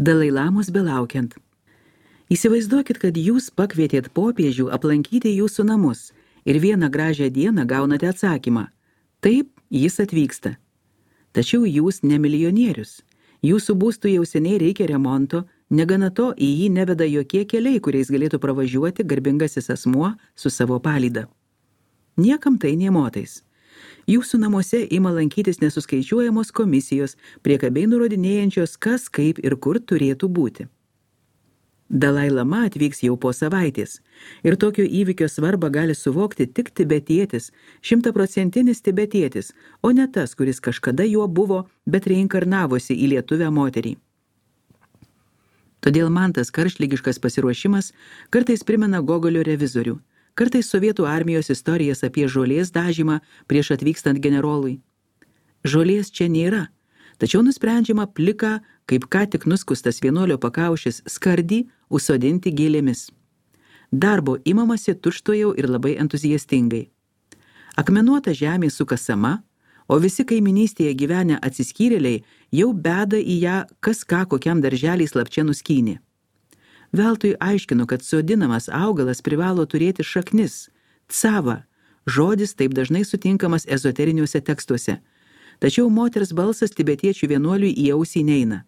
Dalai Lamos belaukiant. Įsivaizduokit, kad jūs pakvietėt popiežių aplankyti jūsų namus ir vieną gražią dieną gaunate atsakymą. Taip, jis atvyksta. Tačiau jūs ne milijonierius. Jūsų būstų jau seniai reikia remonto, negana to į jį neveda jokie keliai, kuriais galėtų pravažiuoti garbingasis asmuo su savo palyda. Niekam tai nė motais. Jūsų namuose ima lankytis nesuskaičiuojamos komisijos, priekabiai nurodinėjančios, kas, kaip ir kur turėtų būti. Dalai Lama atvyks jau po savaitės ir tokio įvykio svarbą gali suvokti tik tibetietis, 100% tibetietis, o ne tas, kuris kažkada juo buvo, bet reinkarnavosi į lietuvę moterį. Todėl man tas karštligiškas pasiruošimas kartais primena Gogolio revizorių, kartais sovietų armijos istorijas apie žolės dažymą prieš atvykstant generolui. Žolės čia nėra, tačiau nusprendžiama pliką, kaip ką tik nuskustas vienuolio pakaušis, skardį užsodinti gėlėmis. Darbo imamasi tučtuojau ir labai entuziastingai. Akmenuota žemė sukasama, o visi kaiminystėje gyvenę atsiskyrėliai jau beda į ją kas ką kokiam darželiai slapčia nuskynė. Veltui aiškinu, kad sodinamas augalas privalo turėti šaknis, cava, žodis taip dažnai sutinkamas ezoteriniuose tekstuose, tačiau moters balsas tibetiečių vienuoliui į ausį neina.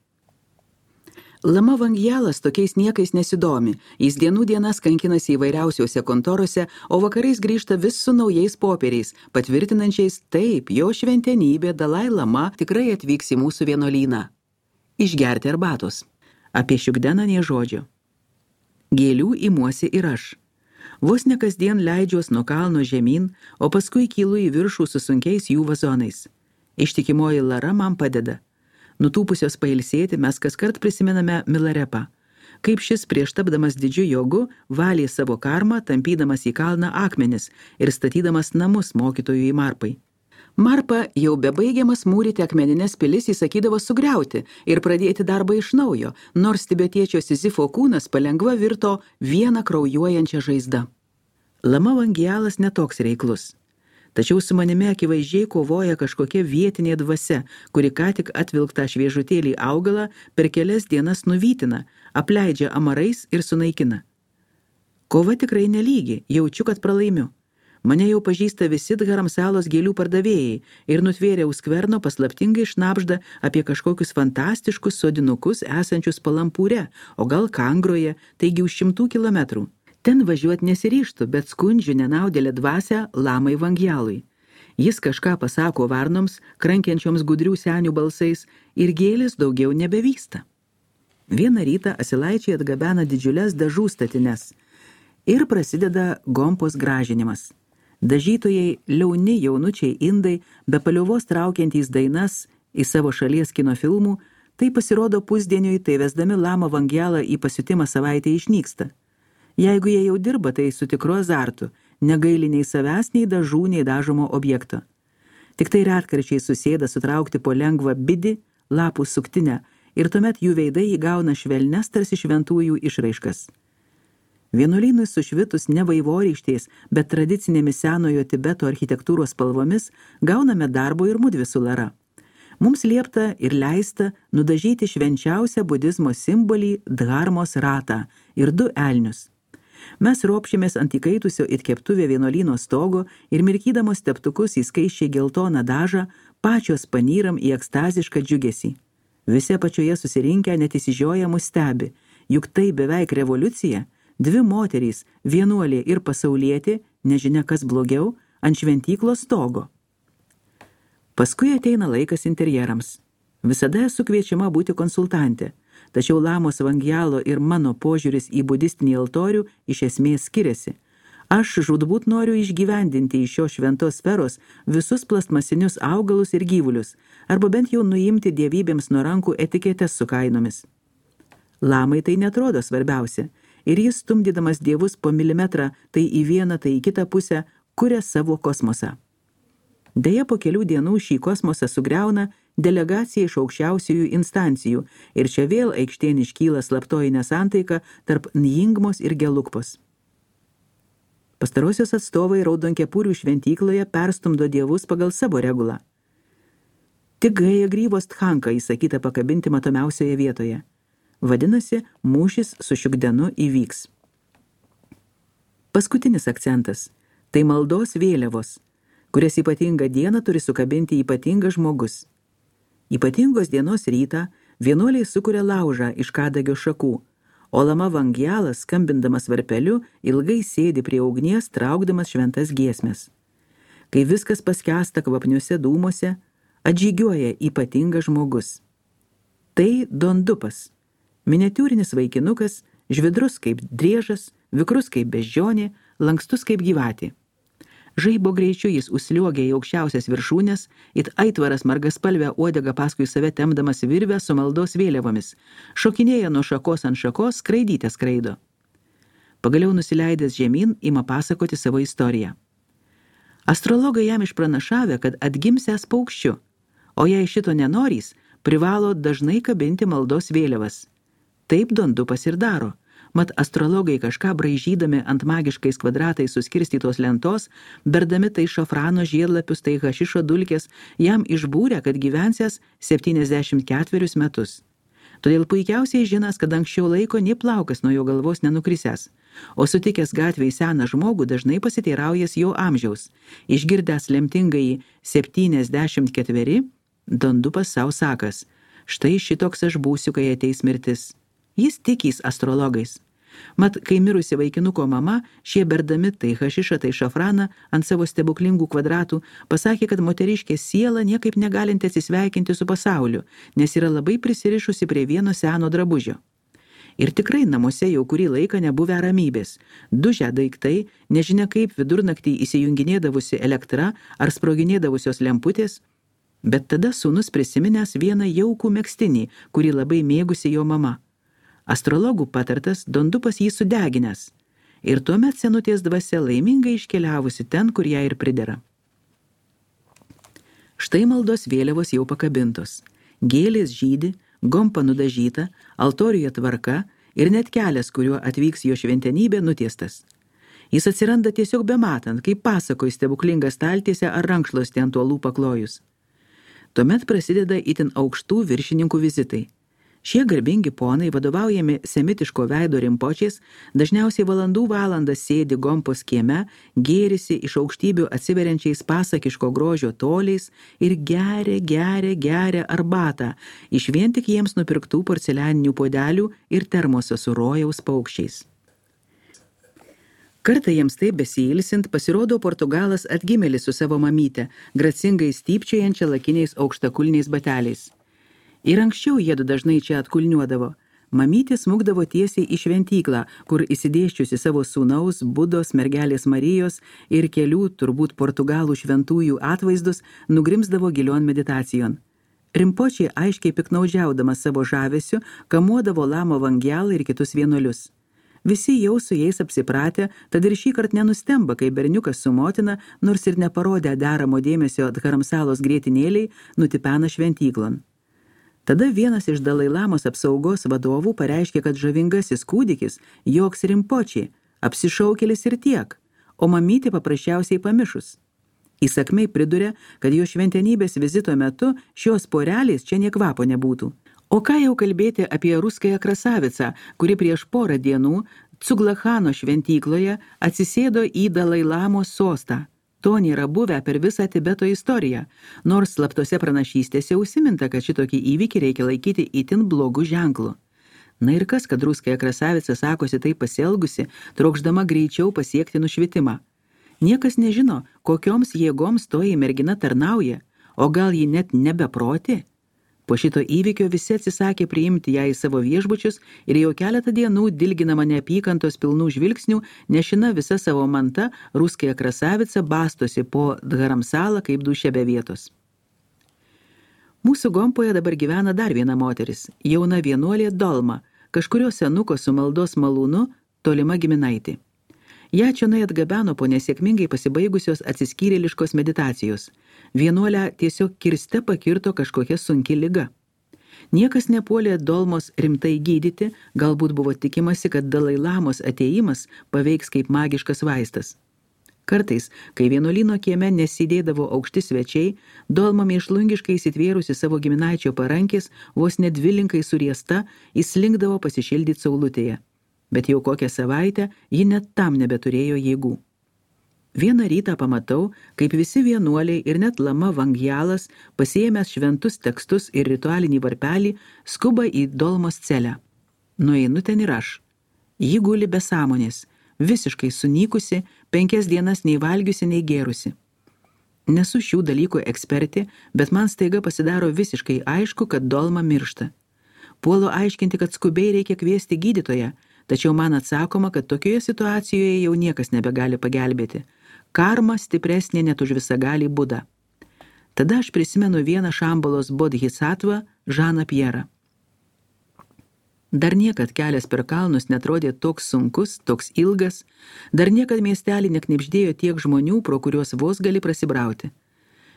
Lama Vangjalas tokiais niekais nesidomi, jis dienų dienas kankinasi įvairiausiuose kontorose, o vakarais grįžta vis su naujais popieriais, patvirtinančiais taip, jo šventenybė Dalai Lama tikrai atvyks į mūsų vienuolyną. Išgerti arbatos. Apie Šiugdeną nė žodžio. Gėlių imuosi ir aš. Vos ne kasdien leidžiuos nuo kalno žemyn, o paskui kylu į viršų su sunkiais jų vazonais. Ištikimoji Lara man padeda. Nutūpusios pailsėti mes kaskart prisimename Milarepą. Kaip šis prieš tapdamas didžiu jogu valė savo karmą, tampydamas į kalną akmenis ir statydamas namus mokytojui Marpai. Marpa jau bebaigiamas mūryti akmeninės pilis įsakydavo sugriauti ir pradėti darbą iš naujo, nors tibetiečio Sizifo kūnas palengva virto vieną kraujuojančią žaizdą. Lama Vangjalas netoks reiklus. Tačiau su manimi akivaizdžiai kovoja kažkokia vietinė dvasia, kuri ką tik atvilktą šviežutėlį augalą per kelias dienas nuvytina, apleidžia amarais ir sunaikina. Kova tikrai nelygi, jaučiu, kad pralaimiu. Mane jau pažįsta visi Dharamsalos gėlių pardavėjai ir nutvėrė už skverno paslaptingai šnabžda apie kažkokius fantastiškus sodinukus esančius Palampūre, o gal Kangroje, taigi už 100 kilometrų. Ten važiuoti nesiryštų, bet skundžiu nenaudėlę dvasią Lamai Vangjalui. Jis kažką pasako varnoms, krankiančioms gudrių senių balsais ir gėlės daugiau nebevysta. Vieną rytą asilaičiai atgabena didžiulės dažų statines ir prasideda gompos gražinimas. Dažytojai, liauni jaunučiai indai, be paliovos traukiantys dainas į savo šalies kino filmų, tai pasirodo pusdieniui, tai vesdami Lamą Vangjalą į pasiutimą savaitę išnyksta. Jeigu jie jau dirba, tai su tikru azartu, negaili nei savęs, nei dažų, nei dažomo objekto. Tik tai retkarčiai susėda sutraukti po lengvą bidį, lapų suktinę ir tuomet jų veidai įgauna švelnes tarsi šventųjų išraiškas. Vienuolynui sušvitus ne vaivorykštės, bet tradicinėmis senojo Tibeto architektūros spalvomis gauname darbo ir mudvi su Lara. Mums liepta ir leista nudažyti švenčiausią budizmo simbolį dharmos ratą ir 2 elnius. Mes ropšėmės ant įkaitusio it keptuvė vienuolyno stogo ir mirkydamos teptukus į skaisčiai geltoną dažą, pačios panyram į ekstazišką džiugesį. Visi apačioje susirinkę net įsižioję mus stebi, juk tai beveik revoliucija, 2 moterys, vienuolė ir pasaulietė, nežinia kas blogiau, ant šventyklos stogo. Paskui ateina laikas interjerams. Visada esu kviečiama būti konsultantė, tačiau Lamos Vangjalo ir mano požiūris į budistinį altorių iš esmės skiriasi. Aš žūtbūt noriu išgyvendinti iš šios šventos sferos visus plastmasinius augalus ir gyvulius, arba bent jau nuimti dievybėms nuo rankų etiketes su kainomis. Lamai tai netrodo svarbiausia, ir jis, stumdydamas dievus po milimetrą, tai į vieną, tai į kitą pusę, kuria savo kosmosą. Deja, po kelių dienų šį kosmosą sugriauna delegacija iš aukščiausiųjų instancijų ir čia vėl aikštėn iškyla slaptoji nesantaika tarp Njingmos ir Gelukpos. Pastarosios atstovai Raudonkepurių šventykloje perstumdo dievus pagal savo regulą. Tik Gaja Grybos tchanka įsakyta pakabinti matomiausioje vietoje. Vadinasi, mūšis su Šiugdenu įvyks. Paskutinis akcentas – tai maldos vėliavos, kurias ypatingą dieną turi sukabinti ypatingas žmogus. Ypatingos dienos rytą vienuoliai sukuria laužą iš kadagio šakų, o Lama Vangjalas, skambindamas varpeliu, ilgai sėdi prie ugnies, traukdamas šventas giesmes. Kai viskas paskęsta kvapniuose dūmuose, atžygiuoja ypatingas žmogus. Tai Dondupas, miniatiūrinis vaikinukas, žvidrus kaip driežas, vikrus kaip beždžionė, lankstus kaip gyvatė. Žaibo greičiu jis užsliuogia į aukščiausias viršūnes, it aitvaras margaspalvę uodegą paskui save tempdamas virvę su maldos vėliavomis, šokinėja nuo šakos ant šakos, skraidyte skraido. Pagaliau nusileidęs žemyn ima pasakoti savo istoriją. Astrologai jam išpranašavę, kad atgimsęs paukščiu, o jei šito nenorys, privalo dažnai kabinti maldos vėliavas. Taip Dondupas ir daro. Mat astrologai kažką braižydami ant magiškais kvadratais suskirstytos lentos, berdami tai šafrano žiedlapius, tai hašišo dulkės, jam išbūrė, kad gyvensęs 74 metus. Todėl puikiausiai žinas, kad anksčiau laiko nė plaukas nuo jo galvos nenukrisęs, o sutikęs gatvėj seną žmogų dažnai pasiteiraujas jo amžiaus. Išgirdęs lemtingąjį 74, Dondupas sau sakas, štai šitoks aš būsiu, kai ateis mirtis. Jis tikys astrologais. Mat, kai mirusi vaikinuko mama, šie berdami tai hašišą, tai šafraną ant savo stebuklingų kvadratų, pasakė, kad moteriškė siela niekaip negalinti atsisveikinti su pasauliu, nes yra labai prisirišusi prie vieno seno drabužio. Ir tikrai namuose jau kurį laiką nebuvę ramybės. Dužę daiktai, nežinia kaip vidurnaktį įsijunginėdavusi elektra ar sproginėdavusios lemputės, bet tada sūnus prisiminęs vieną jaukų megztinį, kurį labai mėgusi jo mama. Astrologų patartas, Dondupas jį sudeginęs. Ir tuomet senutės dvasia laimingai iškeliavusi ten, kur ją ir pridera. Štai maldos vėliavos jau pakabintos. Gėlės žydi, gompa nudažyta, altoriuje tvarka ir net kelias, kuriuo atvyks jo šventenybė, nutiestas. Jis atsiranda tiesiog bematant, kaip pasakoj stebuklinga staltiesė ar rankšluostė ant uolų paklojus. Tuomet prasideda itin aukštų viršininkų vizitai. Šie garbingi ponai, vadovaujami semitiško veido rimpočiais, dažniausiai valandas sėdi gompos kieme, gėrisi iš aukštybių atsiveriančiais pasakiško grožio toliais ir geria arbatą iš vien tik jiems nupirktų porcelianinių puodelių ir termoso su rojaus paukščiais. Kartą jiems taip besiilsint pasirodo Portugalas atgimėlis su savo mamyte, gracingai stypčiojančia lakiniais aukštakulniais bateliais. Ir anksčiau jiedu dažnai čia atkulniuodavo. Mamytė smukdavo tiesiai į šventyklą, kur įsidėščiusi savo sūnaus, Budos, mergelės Marijos ir kelių, turbūt portugalų šventųjų atvaizdus, nugrimsdavo gilion meditacijon. Rimpočiai aiškiai piknaudžiaudamas savo žavesiu, kamuodavo Lama Vangjalą ir kitus vienuolius. Visi jau su jais apsipratę, tad ir šįkart nenustemba, kai berniukas su motina, nors ir neparodė deramo dėmesio Dharamsalos grietinėliai, nutipena šventyklon. Tada vienas iš Dalai Lamos apsaugos vadovų pareiškė, kad žavingasis kūdikis joks Rimpočiai, apsišaukėlis ir tiek, o mamytė paprasčiausiai pamišus. Įsakmiai priduria, kad jo šventenybės vizito metu šios porelės čia nė kvapo nebūtų. O ką jau kalbėti apie ruskąją krasavicą, kuri prieš porą dienų Cuglachano šventykloje atsisėdo į Dalai Lamos sostą. To nėra buvę per visą Tibeto istoriją, nors slaptose pranašystėse užsiminta, kad šitokį įvykį reikia laikyti itin blogų ženklų. Na ir kas, kad ruskąja krasavica sakosi taip pasielgusi, trokšdama greičiau pasiekti nušvitimą. Niekas nežino, kokioms jėgoms toji mergina tarnauja, o gal ji net nebeproti? Po šito įvykio visi atsisakė priimti ją į savo viešbučius ir jau keletą dienų dilginama neapykantos pilnų žvilgsnių, nešina visa savo manta, ruskąja krasavica bastosi po Dharamsalą kaip duše be vietos. Mūsų Gompoje dabar gyvena dar viena moteris, jauna vienuolė Dolma, kažkurio senuko su maldos malūnu, tolima giminaitė. Ja čionai atgabeno po nesėkmingai pasibaigusios atsiskyrėliškos meditacijos. Vienuolę tiesiog kirste pakirto kažkokia sunki liga. Niekas nepuolė Dolmos rimtai gydyti, galbūt buvo tikimasi, kad Dalai Lamos atėjimas paveiks kaip magiškas vaistas. Kartais, kai vienuolyno kieme nesidėdavo aukšti svečiai, Dolma mėšlungiškai įsitvėrusi savo giminaičio parankės, vos net dvilinkai suriesta, įslinkdavo pasišildyti saulutėje. Bet jau kokią savaitę ji net tam nebeturėjo jėgų. Vieną rytą pamatau, kaip visi vienuoliai ir net Lama Vangjalas, pasiėmęs šventus tekstus ir ritualinį varpelį, skuba į Dolmos celę. Nueinu ten ir aš. Ji guli be sąmonės, visiškai sunykusi, 5 dienas nei valgiusi, nei gėrusi. Nesu šių dalykų ekspertė, bet man staiga pasidaro visiškai aišku, kad Dolma miršta. Puolu aiškinti, kad skubiai reikia kviesti gydytoją, tačiau man atsakoma, kad tokioje situacijoje jau niekas nebegali pagelbėti. Karma stipresnė net už visagalį Budą. Tada aš prisimenu vieną Šambalos bodhisattvą, Žaną Pjerą. Dar niekad kelias per kalnus netrodė toks sunkus, toks ilgas, dar niekad miestelį neknibždėjo tiek žmonių, pro kuriuos vos gali prasibrauti.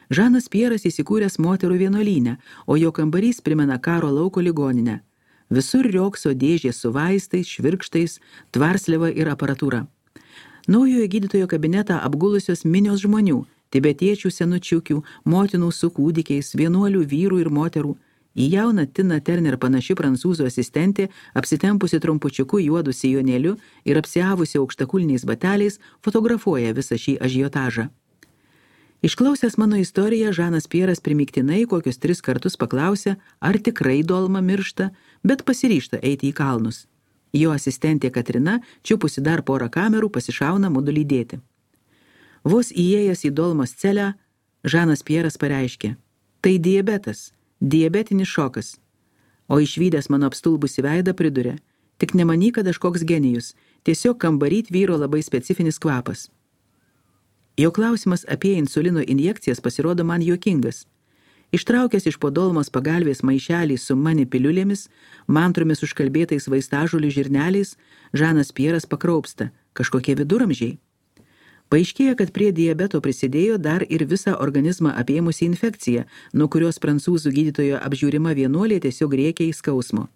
Žanas Pjeras įsikūręs moterų vienuolyne, o jo kambarys primena karo lauko ligoninę. Visur riokso dėžės su vaistais, švirkštais, tvarsliava ir aparatūra. Naujojo gydytojo kabinetą apgulusios minios žmonių, tibetiečių senučiukių, motinų su kūdikiais, vienuolių vyrų ir moterų. Į jauną Tina Turner panaši prancūzų asistentė, apsitempusi trumpučiuku juodu sijonėliu ir apsiavusi aukštakulniais bateliais, fotografuoja visą šį ažiotažą. Išklausęs mano istoriją, Žanas Pjeras primygtinai kokius 3 kartus paklausė, ar tikrai Dolma miršta, bet pasiryžta eiti į kalnus. Jo asistentė Katrina, čiupusi dar porą kamerų, pasišauna mudu lydėti. Vos įėjęs į Dolmos celę, Žanas Pjeras pareiškė, tai diabetas, diabetinis šokas. O išvydęs mano apstulbusi veidą pridurė, tik nemanyk, kad aš koks genijus, tiesiog kambaryt vyro labai specifinis kvapas. Jo klausimas apie insulino injekcijas pasirodo man juokingas. Ištraukęs iš po Dolmos pagalvės maišelį su mani piliulėmis, mantromis užkalbėtais vaistažolių žirneliais, Žanas Pjeras pakraupsta, kažkokie viduramžiai. Paaiškėja, kad prie diabeto prisidėjo dar ir visą organizmą apėmusi infekcija, nuo kurios prancūzų gydytojo apžiūrima vienuolė tiesiog rėkia į skausmo.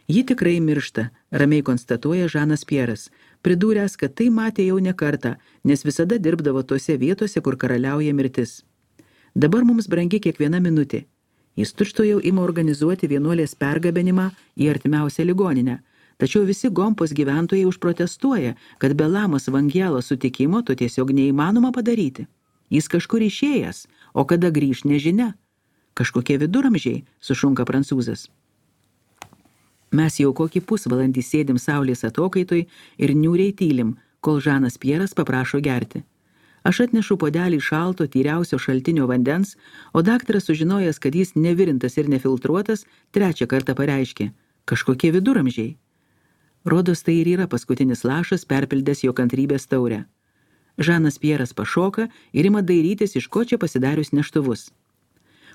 Ji tikrai miršta, ramiai konstatuoja Žanas Pjeras, pridūręs, kad tai matė jau ne kartą, nes visada dirbdavo tose vietose, kur karaliauja mirtis. Dabar mums brangi kiekviena minutė. Jis tučtuojau ima organizuoti vienuolės pergabenimą į artimiausią ligoninę, tačiau visi Gompos gyventojai užprotestuoja, kad be Lamos Vangjalo sutikimo to tiesiog neįmanoma padaryti. Jis kažkur išėjęs, o kada grįš nežinia. Kažkokie viduramžiai, sušunka prancūzas. Mes jau kokį pusvalandį sėdim saulės atokaitoj ir niūriai tylim, kol Žanas Pjeras paprašo gerti. Aš atnešu puodelį šalto, tyriausio šaltinio vandens, o daktaras sužinojęs, kad jis nevirintas ir nefiltruotas, 3 kartą pareiškė, kažkokie viduramžiai. Rodos tai ir yra paskutinis lašas perpildęs jo kantrybės taurę. Žanas Pjeras pašoka ir ima dairytis, iš ko čia pasidarius neštuvus.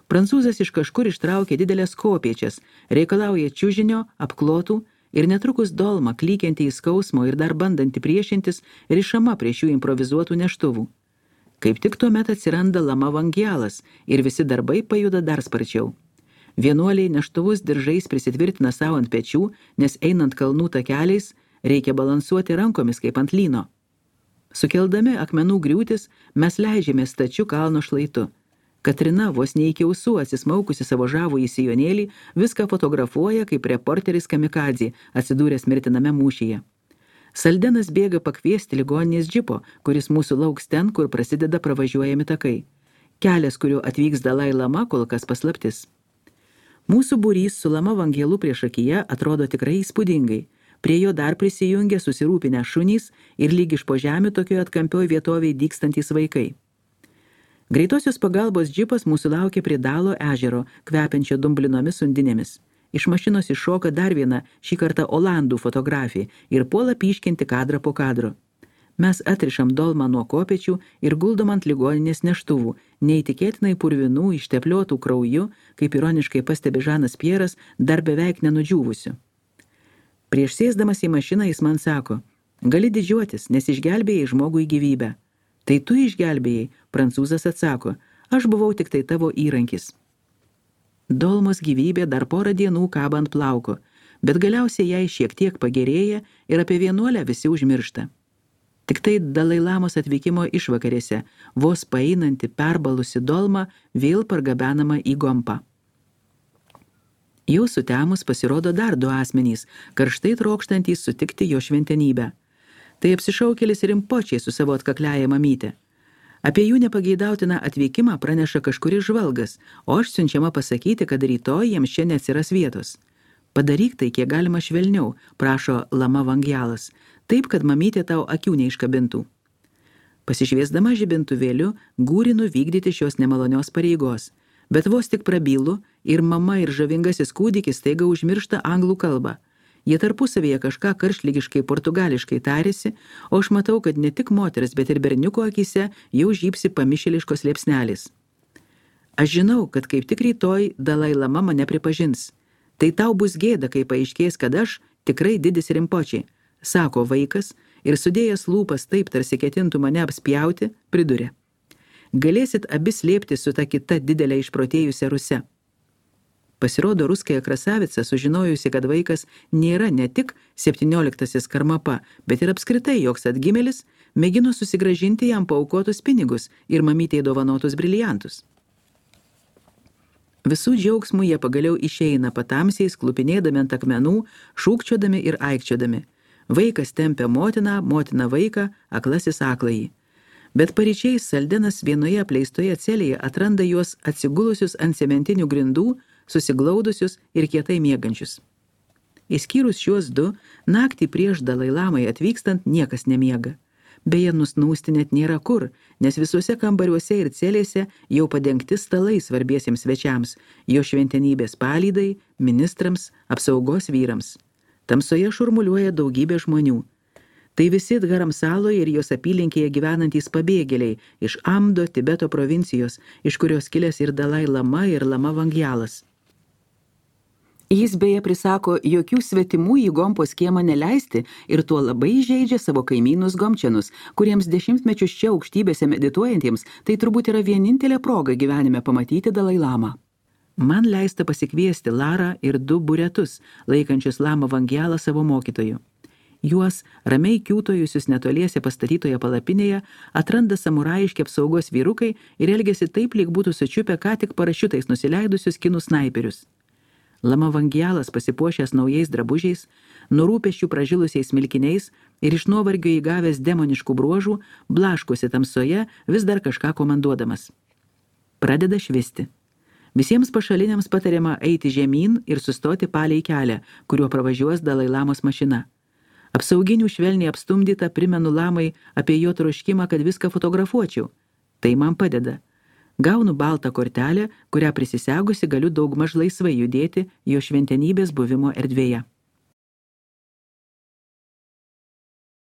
Prancūzas iš kažkur ištraukė didelės kopėčias, reikalauja čiužinio, apklotų ir netrukus Dolma, klykianti į skausmo ir dar bandanti priešintis, rišama prie šių improvizuotų neštuvų. Kaip tik tuomet atsiranda Lama Vangjalas ir visi darbai pajuda dar sparčiau. Vienuoliai neštuvus diržais prisitvirtina savo ant pečių, nes einant kalnų takeliais reikia balansuoti rankomis kaip ant lyno. Sukeldami akmenų griūtis, mes leidžiamės stačiu kalno šlaitu. Katrina, vos ne iki ausų atsismaukusi savo žavų į sijonėlį, viską fotografuoja kaip reporteris kamikadzė, atsidūręs mirtiname mūšyje. Saldenas bėga pakviesti ligoninės džipo, kuris mūsų lauks ten, kur prasideda pravažiuojami takai. Kelias, kuriuo atvyks Dalai Lama, kol kas paslaptis. Mūsų būrys su Lama Vangjalu priešakyje atrodo tikrai įspūdingai. Prie jo dar prisijungia susirūpinę šunys ir lyg iš po žemių tokioje atkampioj vietovėje dykstantys vaikai. Greitosios pagalbos džipas mūsų laukia prie Dalo ežero, kvepiančio dumblinomis undinėmis. Iš mašinos iššoka dar viena, šį kartą olandų fotografė ir puola pyškinti kadrą po kadro. Mes atrišam Dolmą nuo kopėčių ir guldom ant ligoninės neštuvų, neįtikėtinai purvinų, ištepliotų krauju, kaip ironiškai pastebi Žanas Pjeras, dar beveik nenudžiūvusiu. Prieš sėsdamas į mašiną jis man sako, gali didžiuotis, nes išgelbėjai žmogui gyvybę. Tai tu išgelbėjai, prancūzas atsako, aš buvau tik tai tavo įrankis. Dolmos gyvybė dar porą dienų kaba ant plauko, bet galiausiai jai šiek tiek pagerėja ir apie vienuolę visi užmiršta. Tik tai Dalai Lamos atvykimo išvakarėse, vos paeinanti perbalusi dolma vėl pargabenama į Gompą. Jau sutemus pasirodo dar du asmenys, karštai trokštantys sutikti jo šventenybę. Tai apsišaukėlis Rimpočiai su savo atkakliaja mamyte. Apie jų nepageidautiną atvykimą praneša kažkuris žvalgas, o aš siunčiama pasakyti, kad rytoj jiems čia neatsiras vietos. Padaryk tai kiek galima švelniau, prašo Lama Vangjalas, taip, kad mamytė tau akių neiškabintų. Pasišviesdama žibintuvėliu, gūrinu vykdyti šios nemalonios pareigos, bet vos tik prabylu ir mama ir žavingasis kūdikis staiga užmiršta anglų kalbą. Jie tarpusavėje kažką karštligiškai portugališkai tarėsi, o aš matau, kad ne tik moters, bet ir berniuko akyse jau žypsi pamišėliškos liepsnelis. Aš žinau, kad kaip tik rytoj Dalai Lama mane pripažins. Tai tau bus gėda, kai paaiškės, kad aš tikrai didis Rimpočiai, sako vaikas ir sudėjęs lūpas taip, tarsi ketintų mane apspjauti, priduria. Galėsit abi slėpti su ta kita didelė išprotėjusia Ruse. Pasirodo, ruskąją krasavicą, sužinojusi, kad vaikas nėra ne tik 17-asis Karmapa, bet ir apskritai joks atgimėlis, mėgino susigrąžinti jam paaukotus pinigus ir mamytei dovanotus briliantus. Visų džiaugsmų jie pagaliau išeina patamsiais, klupinėdami ant akmenų, šūkčiodami ir aikčiodami. Vaikas tempia motiną, motina vaiką, aklasis akląjį. Bet paryčiais Saldenas vienoje apleistoje celėje atranda juos atsigulusius ant cementinių grindų, susiglaudusius ir kietai miegančius. Išskyrus šiuos du, naktį prieš Dalai Lamai atvykstant niekas nemiega. Beje, nusnūsti net nėra kur, nes visuose kambariuose ir celėse jau padengti stalai svarbiesiems svečiams, jo šventenybės palydai, ministrams, apsaugos vyrams. Tamsoje šurmuliuoja daugybė žmonių. Tai visi Dharamsaloje ir jos apylinkėje gyvenantys pabėgėliai iš Amdo, Tibeto provincijos, iš kurios kilęs ir Dalai Lama ir Lama Vangjalas. Jis beje prisako jokių svetimų į Gompos kiemą neleisti ir tuo labai įžeidžia savo kaimynus gomčianus, kuriems dešimtmečius čia aukštybėse medituojantiems tai turbūt yra vienintelė proga gyvenime pamatyti Dalai Lamą. Man leista pasikviesti Larą ir du buretus, laikančius Lama Vangjalą savo mokytoju. Juos, ramiai kiūtojusius netoliese pastatytoje palapinėje, atranda samuraiški apsaugos vyrukai ir elgiasi taip, lyg būtų sučiupę ką tik parašiutais nusileidusius kinų snaiperius. Lama Vangjalas, pasipuošęs naujais drabužiais, nurūpesčių pražilusiais milkiniais ir iš nuovargio įgavęs demoniškų bruožų, blaškosi tamsoje, vis dar kažką komanduodamas. Pradeda švisti. Visiems pašaliniams patariama eiti žemyn ir sustoti palei kelią, kuriuo pravažiuos Dalai Lamos mašina. Apsauginių švelniai apstumdyta primenu Lamai apie jo troškimą, kad viską fotografuočiau. Tai man padeda. Gaunu baltą kortelę, kurią prisisegusi galiu daugmaž laisvai judėti jo šventenybės buvimo erdvėje.